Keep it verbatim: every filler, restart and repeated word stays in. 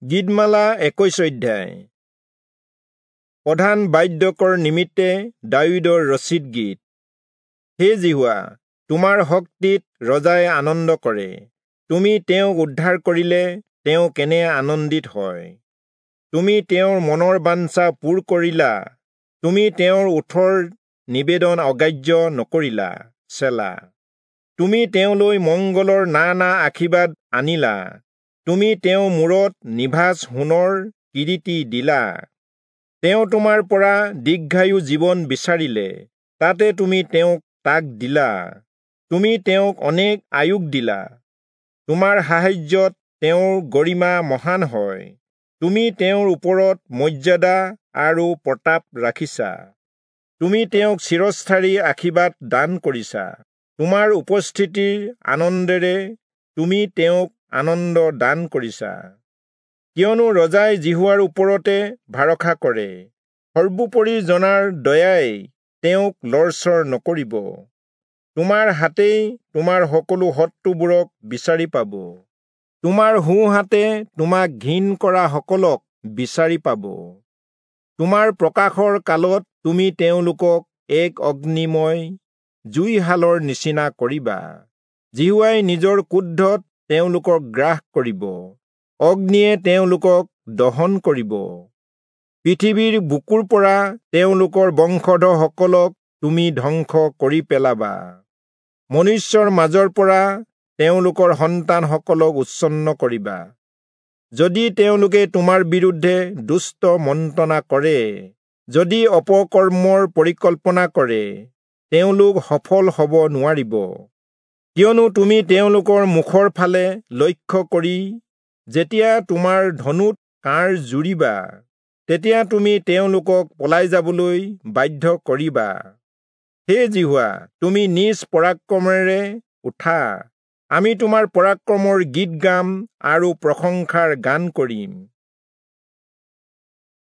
গীতমালা একৈশ অধ্যায়। প্ৰধান বাদ্যকৰ নিমিত্তে দায়ূদৰ ৰচিত গীত। হে যিহোৱা, তোমাৰ শক্তিত ৰজাই আনন্দ কৰে, তুমি তেওঁক উদ্ধাৰ কৰিলে তেওঁ কেনে আনন্দিত হয়। তুমি তেওঁৰ মনৰ বাঞ্ছা পূৰ কৰিলা, তুমি তেওঁৰ ওঠৰ নিবেদন অগ্ৰাহ্য নকৰিলা। চেলা। তুমি তেওঁলৈ মংগলৰ নানা আশীৰ্বাদ আনিলা, তুমি তেওঁৰ মূৰত নিভাঁজ সোণৰ কিৰীটি দিলা। তেওঁ তোমাৰ পৰা দীৰ্ঘায়ু জীৱন বিচাৰিলে, তাতে তুমি তেওঁক তাক দিলা। তুমি তেওঁক অনেক আয়ুস দিলা, তোমাৰ সাহায্যত তেওঁৰ গৰিমা মহান হয়। তুমি তেওঁৰ ওপৰত মৰ্যাদা আৰু প্ৰতাপ ৰাখিছা, তুমি তেওঁক চিৰস্থায়ী আশীৰ্বাদ দান কৰিছা। তোমাৰ উপস্থিতিৰ আনন্দেৰে তুমি তেওঁক আনন্দ দান কৰিছা। কিয়নো ৰজাই যিহোৱাৰ ওপৰতে ভৰসা কৰে, সৰ্বোপৰি জনাৰ দয়াই তেওঁক লৰচৰ নকৰিব। তোমাৰ হাতেই তোমাৰ সকলো শত্ৰুবোৰক বিচাৰি পাব, তোমাৰ সোঁহাতে তোমাক ঘিণ কৰা সকলক বিচাৰি পাব। তোমাৰ প্ৰকাশৰ কালত তুমি তেওঁলোকক এক অগ্নিময় জুইশালৰ নিচিনা কৰিবা। যিহোৱাই নিজৰ ক্ৰোধত তেওঁলোকক গ্ৰাস কৰিব, অগ্নিয়ে তেওঁলোকক দহন কৰিব। পৃথিৱীৰ বুকুৰ পৰা তেওঁলোকৰ বংশধৰসকলক তুমি ধ্বংস কৰি পেলাবা, মনুষ্যৰ মাজৰ পৰা তেওঁলোকৰ সন্তানসকলক উচ্ছন্ন কৰিবা। যদি তেওঁলোকে তোমাৰ বিৰুদ্ধে দুষ্ট মন্ত্ৰণা কৰে, যদি অপকৰ্মৰ পৰিকল্পনা কৰে, তেওঁলোক সফল হ'ব নোৱাৰিব। কিয়নো তুমি তেওঁলোকৰ মুখৰ ফালে লক্ষ্য কৰি যেতিয়া তোমাৰ ধনুত কাঁড় জুৰিবা, তেতিয়া তুমি তেওঁলোকক পলাই যাবলৈ বাধ্য কৰিবা। হে যিহোৱা, তুমি নিজ পৰাক্ৰমেৰে উঠা, আমি তোমাৰ পৰাক্ৰমৰ গীত গাম আৰু প্ৰশংসাৰ গান কৰিম।